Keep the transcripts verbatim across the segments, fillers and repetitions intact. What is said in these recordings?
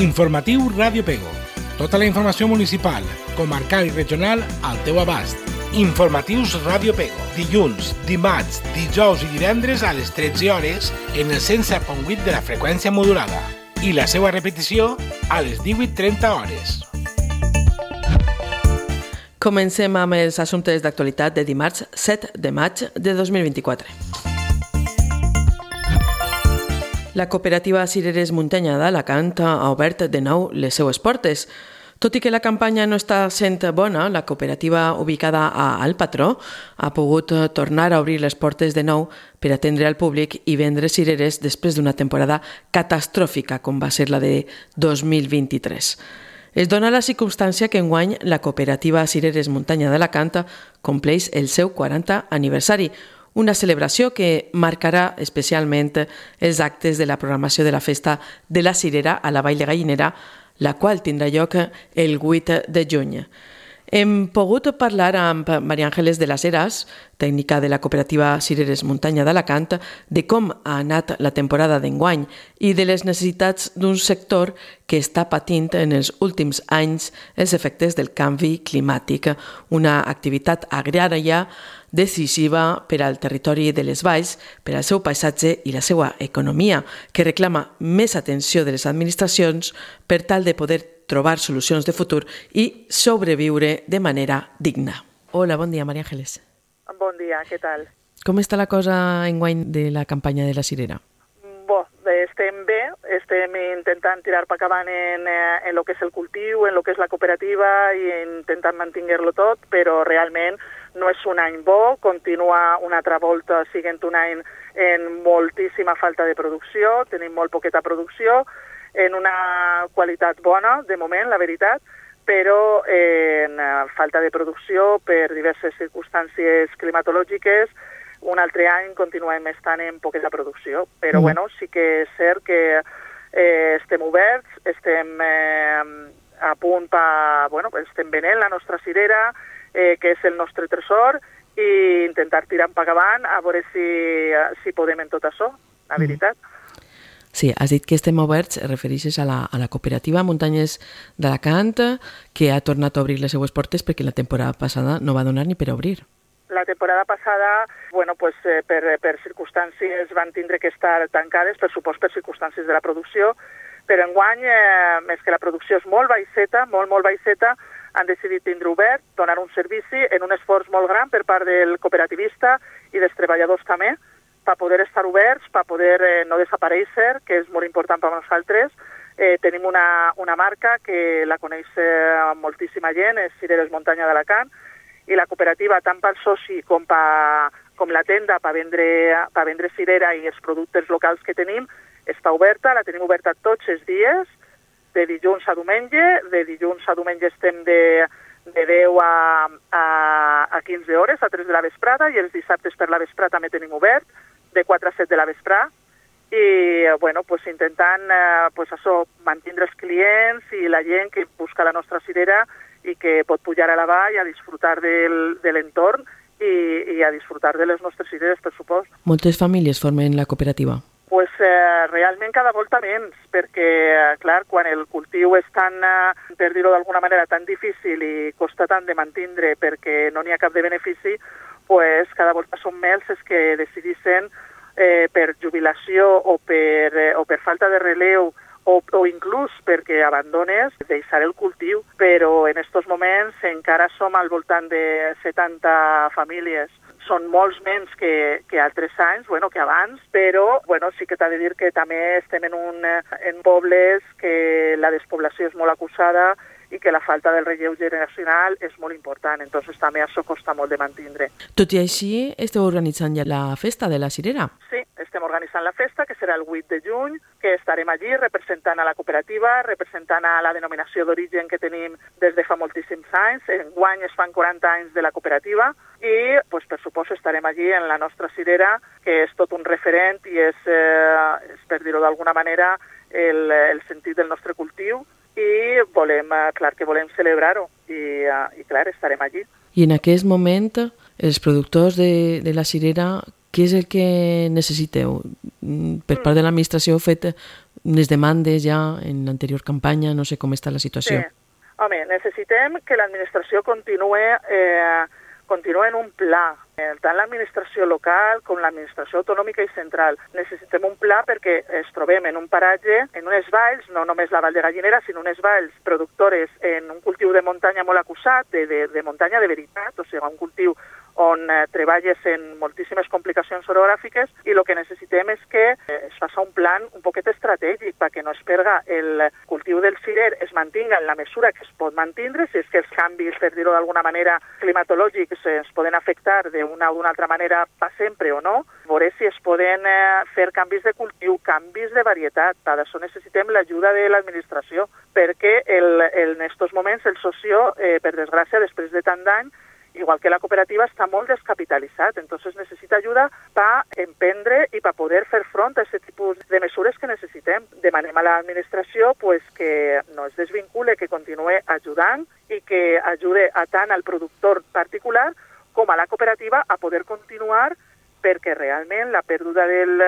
Informatiu Ràdio Pego. Tota la informació municipal, comarcal i regional al teu abast. Informatius Ràdio Pego. Dilluns, dimarts, dijous i divendres a les tretze hores en el cent set coma vuit de la freqüència modulada. I la seva repetició a les divuit trenta hores. Comencem amb els assumptes d'actualitat de dimarts set de maig de dos mil vint-i-quatre. La cooperativa Cireres Muntanya d'Alacant ha obert de nou les seues portes. Tot i que la campanya no està sent bona, la cooperativa ubicada a Al Patró ha pogut tornar a obrir les portes de nou per atendre al públic i vendre cireres després d'una temporada catastròfica com va ser la de dos mil vint-i-tres. Es dona la circumstància que enguany la cooperativa Cireres Muntanya d'Alacant compleix el seu quarantè aniversari, una celebració que marcarà especialment els actes de la programació de la festa de la cirera a la Vall de Gallinera, la qual tindrà lloc el vuit de juny. Hem pogut parlar amb Maria Ángeles de las Heras, tècnica de la cooperativa Cireres Muntanya d'Alacant, de com ha anat la temporada d'enguany i de les necessitats d'un sector que està patint en els últims anys els efectes del canvi climàtic, una activitat agrària decisiva per al territori de les valls, per al seu paisatge i la seva economia, que reclama més atenció de les administracions per tal de poder trobar solucions de futur i sobreviure de manera digna. Hola, bon dia, Maria Ángeles. Bon dia, què tal? Com està la cosa enguany de la campanya de la cirera? Bo, estem bé, estem intentant tirar per acabant en, en lo que és el cultiu, en lo que és la cooperativa i intentant mantenir-lo tot, però realment no és un any bo, continua una altra volta siguent un any en moltíssima falta de producció, tenim molt poqueta producció, en una qualitat bona, de moment, la veritat, però en falta de producció per diverses circumstàncies climatològiques. Un altre any continuem estant en poqueta producció, però mm. bueno, sí que és cert que eh, estem oberts, estem eh, a punt per, bueno, estem venent la nostra cirera, eh, que és el nostre tresor, i intentar tirar per avant a veure si, si podem en tot això, la veritat. Mm. Sí, has dit que estem oberts, refereixes a la, a la cooperativa Muntanyes d'Alacant, que ha tornat a obrir les seues portes perquè la temporada passada no va donar ni per obrir. La temporada passada, bueno, pues, eh, per, per circumstàncies van tindre que estar tancades, per supost per circumstàncies de la producció, però enguany, eh, més que la producció és molt baixeta, molt, molt baixeta, han decidit tindre obert, donar un servici en un esforç molt gran per part del cooperativista i dels treballadors també, per poder estar oberts, per poder eh, no desaparèixer, que és molt important per nosaltres. Eh, tenim una, una marca que la coneix eh, moltíssima gent, és Cireres Muntanya d'Alacant, i la cooperativa, tant pel soci com, pa, com la tenda per vendre, per vendre cirera i els productes locals que tenim, està oberta, la tenim oberta tots els dies, de dilluns a diumenge. De dilluns a diumenge estem de, de deu a, a, a quinze hores, a tres de la vesprada, i els dissabtes per la vesprada també tenim obert, de quatre a set de la vesprà, i bueno, pues, intentant eh, pues, això, mantindre els clients i la gent que busca la nostra cirera i que pot pujar a la vall a disfrutar del, de l'entorn i, i a disfrutar de les nostres cireres, per supost. Moltes famílies formen la cooperativa? Pues eh, realment cada volta menys, perquè, eh, clar, quan el cultiu és tan, eh, per dir-ho d'alguna manera, tan difícil i costa tant de mantindre perquè no n'hi ha cap de benefici, pues cada volta són més els que decidissin eh, per jubilació o per, eh, o per falta de relleu o, o inclús perquè abandones deixar el cultiu, però en aquests moments encara som al voltant de setanta famílies. Són molts menys que, que altres anys, bueno, que abans, però bueno, sí que t'ha de dir que també estem en, un, en pobles que la despoblació és molt acusada i que la falta del relleu generacional és molt important, entonces també això costa molt de mantindre. Tot i així, esteu organitzant ja la festa de la cirera? Sí, estem organitzant la festa, que serà el vuit de juny, que estarem allí representant a la cooperativa, representant a la denominació d'origen que tenim des de fa moltíssims anys. Enguany es fan quaranta anys de la cooperativa i, pues, per suposo, estarem allí en la nostra cirera, que és tot un referent i és, eh, és per dir-ho d'alguna manera, el, el sentit del nostre cultiu, i volem, clar que volem celebrar-ho i, i clar, estarem allí. I en aquest moment, els productors de, de la cirera, què és el que necessiteu? Per part de l'administració heu fet les demandes ja en l'anterior campanya? No sé com està la situació. Sí. Home, necessitem que l'administració continuï, eh, continuï en un pla, eh, tant l'administració local com l'administració autonòmica i central. Necessitem un pla perquè es trobem en un paratge, en unes valls, no només la Vall de Gallinera, sinó unes valls productores en un cultiu de muntanya molt acusat, de, de, de muntanya de veritat, o sigui, un cultiu on eh, treballes en moltíssimes complicacions orogràfiques i el que necessitem és que eh, es faci un plan un poquet estratègic perquè no es perga el cultiu del cirer, es mantinga en la mesura que es pot mantindre, si és que els canvis, per dir-ho d'alguna manera, climatològics es poden afectar d'una o d'una altra manera per sempre o no, veure si es poden eh, fer canvis de cultiu, canvis de varietat. Per això necessitem l'ajuda de l'administració, perquè el, el, en aquests moments el socio, eh, per desgràcia, després de tant d'any, igual que la cooperativa, està molt descapitalitzat, entonces necessita ajuda per emprendre i per poder fer front a aquest tipus de mesures que necessitem. Demanem a l'administració pues, que no es desvincule, que continuï ajudant i que ajude a tant al productor particular com a la cooperativa a poder continuar, perquè realment la pèrdua del,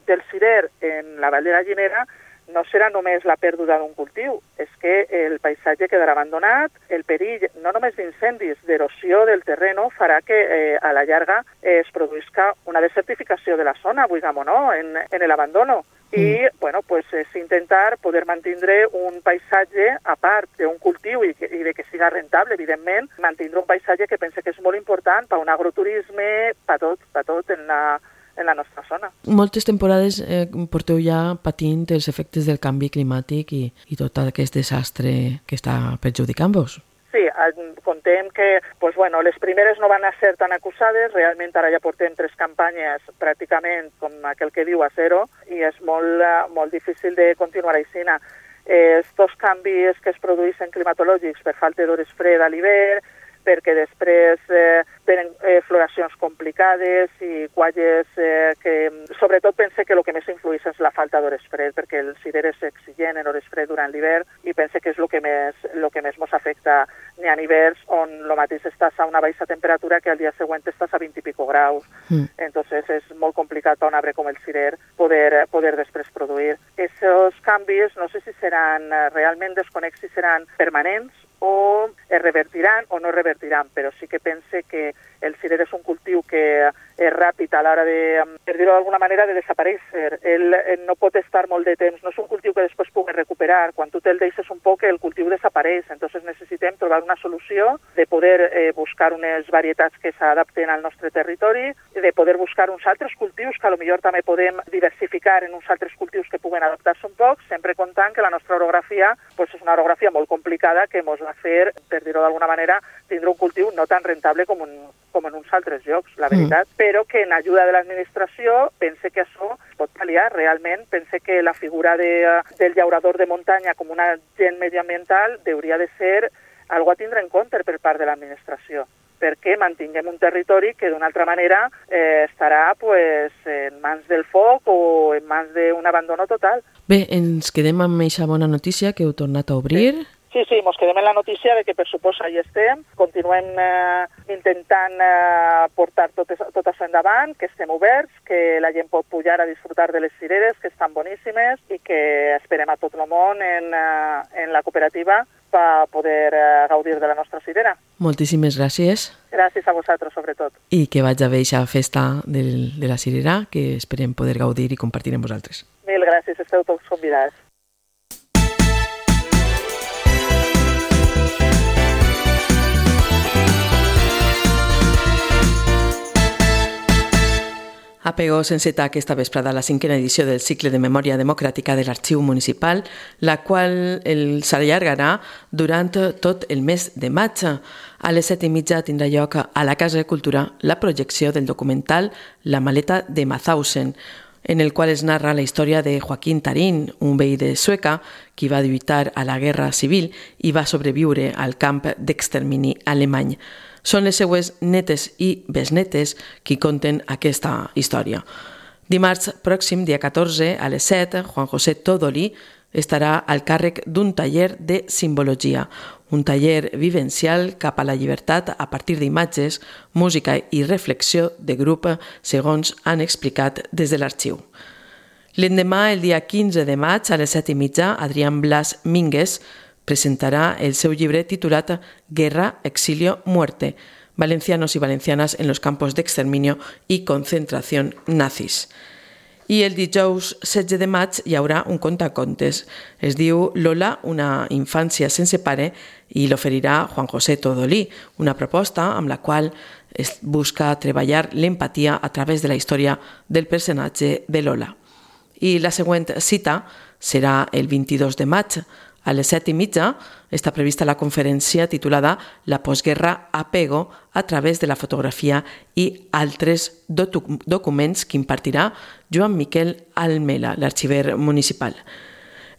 del cirer en la Vall de Gallinera no serà només la pèrdua d'un cultiu, és que el paisatge quedarà abandonat, el perill no només d'incendis, d'erosió del terreno farà que eh, a la llarga eh, es produïsca una desertificació de la zona, vulguem o no, en, en l'abandono. I, mm. bueno, pues és intentar poder mantindre un paisatge a part d'un cultiu i, que, i de que siga rentable, evidentment, mantindre un paisatge que pense que és molt important per un agroturisme, per tot, per tot en la en la nostra zona. Moltes temporades eh, porteu ja patint els efectes del canvi climàtic i, i tot aquest desastre que està perjudicant-vos. Sí, contem que pues, bueno, les primeres no van a ser tan acusades, realment ara ja portem tres campanyes pràcticament com aquell que diu a zero i és molt, molt difícil de continuar així. Estos canvis que es produeixen climatològics per falta d'hores fred a l'hivern, perquè després eh, tenen eh, floracions complicades i qualles eh, que sobretot pense que el que més influeix és la falta d'hores fred, perquè el cirer és exigent en hores fred durant l'hivern i pense que és el que més el que més ens afecta. N'hi ha hiverns on el mateix estàs a una baixa temperatura que al dia següent estàs a vint i pico graus. Mm. Entonces és molt complicat per un arbre com el cirer poder, poder després produir. Aquests canvis no sé si seran realment desconec si seran permanents o es revertiran o no es revertiran, però sí que pense que el cirer és un cultiu que és ràpid a l'hora de, per dir-ho d'alguna manera, de desaparèixer. Ell no pot estar molt de temps, no és un cultiu que després pugui recuperar. Quan tu te'l deixes un poc, el cultiu desapareix. Entonces necessitem trobar una solució de poder eh, buscar unes varietats que s'adapten al nostre territori, de poder buscar uns altres cultius que potser també podem diversificar en uns altres cultius que puguen adaptar-se un poc, sempre comptant que la nostra orografia pues, és una orografia molt complicada que ens va fer, per dir-ho d'alguna manera, tindre un cultiu no tan rentable com, un, com en uns altres llocs, la veritat, mm. però que en ajuda de l'administració pense que això es pot pal·liar realment, pense que la figura de, del llaurador de muntanya com un agent medioambiental hauria de ser algo a tindre en compte per part de l'administració, perquè mantinguem un territori que d'una altra manera eh, estarà pues, en mans del foc o en mans d'un abandono total. Bé, ens quedem amb aquesta bona notícia que heu tornat a obrir. Sí. Sí, sí, ens quedem en la notícia de que per suposa hi estem, continuem eh, intentant eh, portar tot, tot això endavant, que estem oberts, que la gent pot pujar a disfrutar de les cireres, que estan boníssimes i que esperem a tot el món en, eh, en la cooperativa per poder eh, gaudir de la nostra cirera. Moltíssimes gràcies. Gràcies a vosaltres, sobretot. I que vaig a veure aquesta festa del, de la cirera, que esperem poder gaudir i compartir amb vosaltres. Mil gràcies, esteu tots convidats. A Pego s'enceta aquesta vesprada la cinquena edició del cicle de memòria democràtica de l'Arxiu Municipal, la qual s'allargarà durant tot el mes de maig. A les set i mitja tindrà lloc a la Casa de Cultura la projecció del documental La maleta de Mauthausen, en el qual es narra la història de Joaquín Tarín, un veí de Sueca qui va lluitar a la Guerra Civil i va sobreviure al camp d'extermini alemany. Són les seues netes i besnetes qui conten aquesta història. Dimarts pròxim, dia catorze, a les set, Juan José Todoli estarà al càrrec d'un taller de simbologia, un taller vivencial cap a la llibertat a partir d'imatges, música i reflexió de grup, segons han explicat des de l'arxiu. L'endemà, el dia quinze de maig, a les set i mitja, Adrián Blas Mínguez presentarà el seu llibre titulat Guerra, exilio, muerte, valencianos y valencianas en los campos de exterminio y concentración nazis. I el dijous setze de maig hi haurà un contacontes. Es diu Lola, una infància sense pare, i l'oferirà Juan José Todolí, una proposta amb la qual es busca treballar l'empatia a través de la història del personatge de Lola. I la següent cita serà el vint-i-dos de maig. A les set i mitja està prevista la conferència titulada La postguerra apego a través de la fotografia i altres docu- documents que impartirà Joan Miquel Almela, l'arxiver municipal.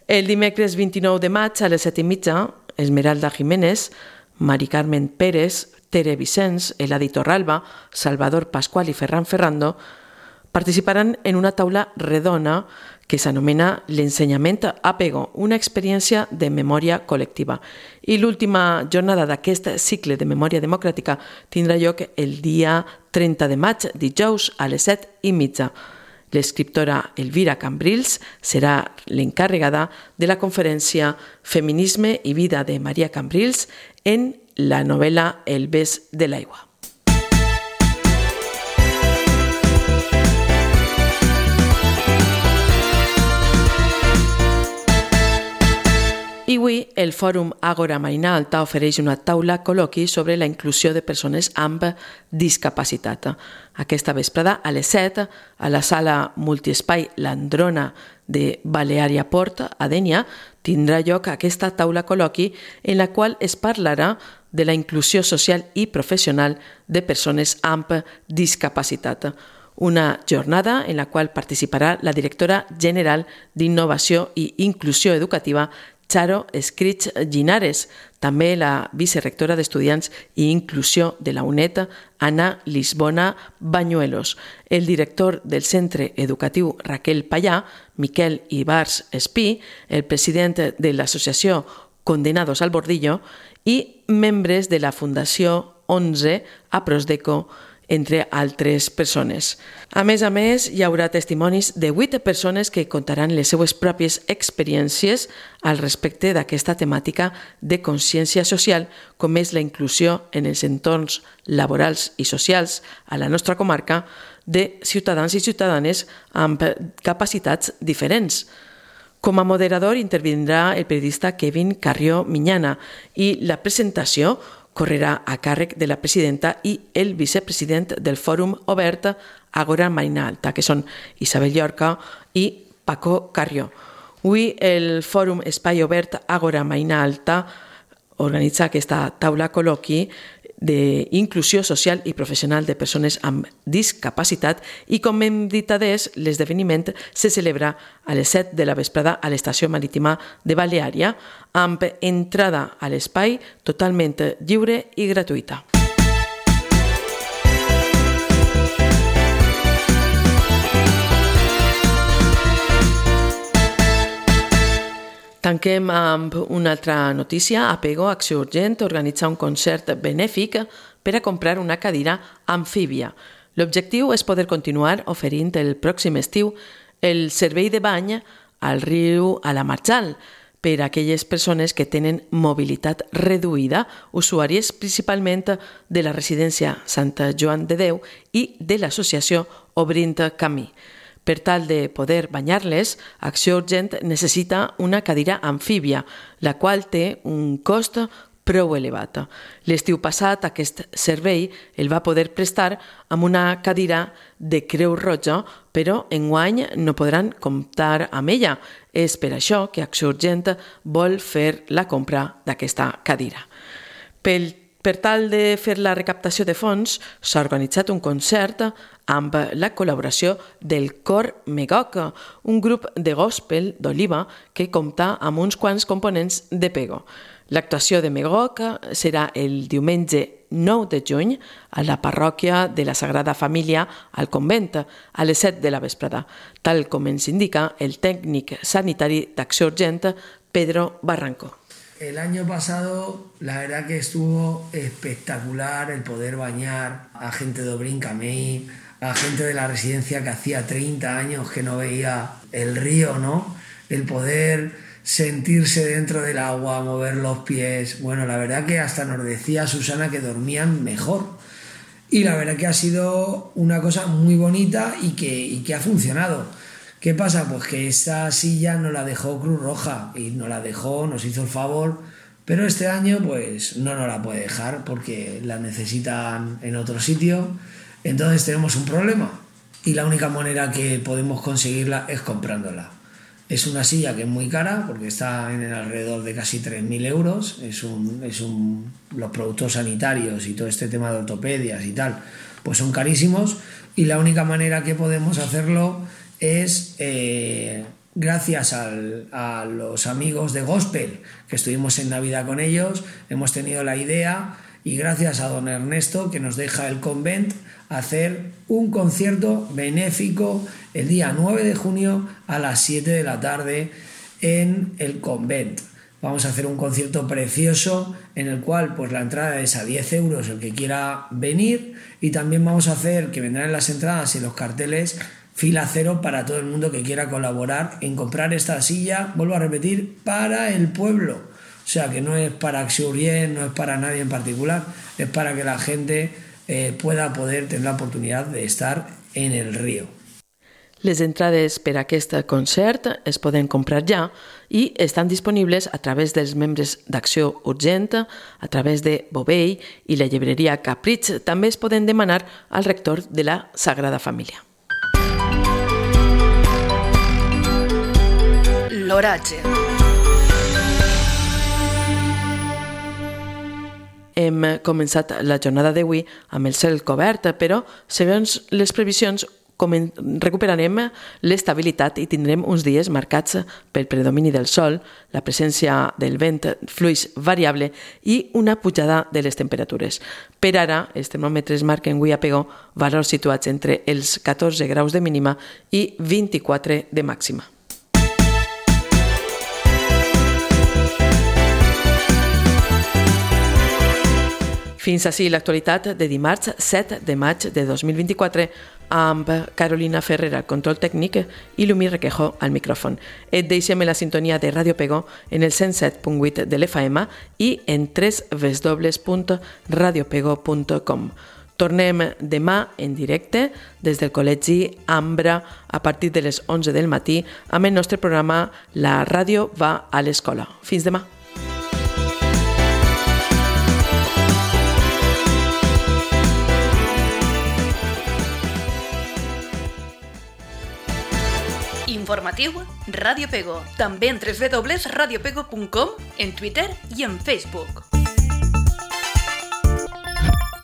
El dimecres vint-i-nou de maig a les set i mitja, Esmeralda Jiménez, Mari Carmen Pérez, Tere Vicens, Eladi Torralba, Salvador Pascual i Ferran Ferrando participaran en una taula redona que s'anomena l'ensenyament apego, una experiència de memòria col·lectiva. I l'última jornada d'aquest cicle de memòria democràtica tindrà lloc el dia trenta de maig, dijous, a les set i mitja. L'escriptora Elvira Cambrils serà l'encarregada de la conferència Feminisme i vida de Maria Cambrils en la novel·la El bes de l'aigua. I avui el Fòrum Àgora Marina Alta ofereix una taula col·loqui sobre la inclusió de persones amb discapacitat. Aquesta vesprada a les set, a la sala multiespai L'Androna de Baleària Port, a Dénia, tindrà lloc aquesta taula col·loqui en la qual es parlarà de la inclusió social i professional de persones amb discapacitat. Una jornada en la qual participarà la directora general d'Innovació i Inclusió Educativa, Charo Escrits Ginares, també la vicerectora d'Estudiants i Inclusió de la UNED, Ana Lisbona Bañuelos, el director del Centre Educatiu Raquel Pallà, Miquel Ibars Espí, el president de l'associació Condenados al Bordillo i membres de la Fundació onze a Prosdeco, entre altres persones. A més a més, hi haurà testimonis de vuit persones que contaran les seues pròpies experiències al respecte d'aquesta temàtica de consciència social, com és la inclusió en els entorns laborals i socials a la nostra comarca de ciutadans i ciutadanes amb capacitats diferents. Com a moderador intervindrà el periodista Kevin Carrió Miñana i la presentació correrà a càrrec de la presidenta i el vicepresident del Fòrum Obert Àgora Marina Alta, que són Isabel Llorca i Paco Carrió. Avui el Fòrum Espai Obert Àgora Marina Alta organitza aquesta taula col·loqui d'inclusió social i professional de persones amb discapacitat i, com hem dit adés, l'esdeveniment se celebra a les set de la vesprada a l'estació marítima de Baleària amb entrada a l'espai totalment lliure i gratuïta. Tanquem amb una altra notícia. Apego, Acció Urgent, organitza un concert benèfic per a comprar una cadira amfíbia. L'objectiu és poder continuar oferint el pròxim estiu el servei de bany al riu a la Marjal per a aquelles persones que tenen mobilitat reduïda, usuàries principalment de la residència Sant Joan de Déu i de l'associació Obrint Camí. Per tal de poder banyar-les, Acció Urgent necessita una cadira amfíbia, la qual té un cost prou elevat. L'estiu passat aquest servei el va poder prestar amb una cadira de Creu Roja, però enguany no podran comptar amb ella. És per això que Acció Urgent vol fer la compra d'aquesta cadira. Pel Per tal de fer la recaptació de fons, s'ha organitzat un concert amb la col·laboració del Cor Megok, un grup de gospel d'Oliva que compta amb uns quants components de Pego. L'actuació de Megok serà el diumenge nou de juny a la parròquia de la Sagrada Família al convent a les set de la vesprada, tal com ens indica el tècnic sanitari d'Acció Urgent, Pedro Barranco. El año pasado, la verdad que estuvo espectacular el poder bañar a gente de Obrint Camí, a gente de la residencia que hacía treinta años que no veía el río, ¿no? El poder sentirse dentro del agua, mover los pies. Bueno, la verdad que hasta nos decía Susana que dormían mejor. Y la verdad que ha sido una cosa muy bonita y que, y que ha funcionado. ¿Qué pasa? Pues que esta silla nos la dejó Cruz Roja y nos la dejó, nos hizo el favor, pero este año pues no nos la puede dejar porque la necesitan en otro sitio. Entonces tenemos un problema y la única manera que podemos conseguirla es comprándola. Es una silla que es muy cara porque está en el alrededor de casi tres mil euros. Es un, es un, los productos sanitarios y todo este tema de ortopedias y tal, pues son carísimos y la única manera que podemos hacerlo es eh, gracias al, a los amigos de Gospel, que estuvimos en Navidad con ellos, hemos tenido la idea y gracias a don Ernesto que nos deja el convent hacer un concierto benéfico el día nueve de junio a las siete de la tarde en el convent. Vamos a hacer un concierto precioso en el cual pues la entrada es a diez euros el que quiera venir y también vamos a hacer que vendrán las entradas y los carteles fila cero para todo el mundo que quiera colaborar en comprar esta silla, vuelvo a repetir, para el pueblo. O sea que no es para Axurien, no es para nadie en particular, es para que la gente eh, pueda poder tener la oportunidad de estar en el río. Les entrades per a aquest concert es poden comprar ja i estan disponibles a través dels membres d'Acció Urgent, a través de Bovell i la llibreria Capritx. També es poden demanar al rector de la Sagrada Família. L'oratge. Hem començat la jornada d'avui amb el cel cobert, però segons les previsions recuperarem l'estabilitat i tindrem uns dies marcats pel predomini del sol, la presència del vent fluix variable i una pujada de les temperatures. Per ara, els termòmetres marquen avui a Pego valors situats entre els catorze graus de mínima i vint-i-quatre de màxima. Fins així l'actualitat de dimarts set de maig de dos mil vint-i-quatre amb Carolina Ferrer al control tècnic i Lumí Requejo al micròfon. Et deixem en la sintonia de Ràdio Pego en el cent set punt vuit de l'F M i en w w w punt radio pego punt com. Tornem demà en directe des del Col·legi Ambra a partir de les onze del matí amb el nostre programa La ràdio va a l'escola. Fins demà. Informatiu Ràdio Pego, també en w w w punt radio pego punt com, en Twitter i en Facebook.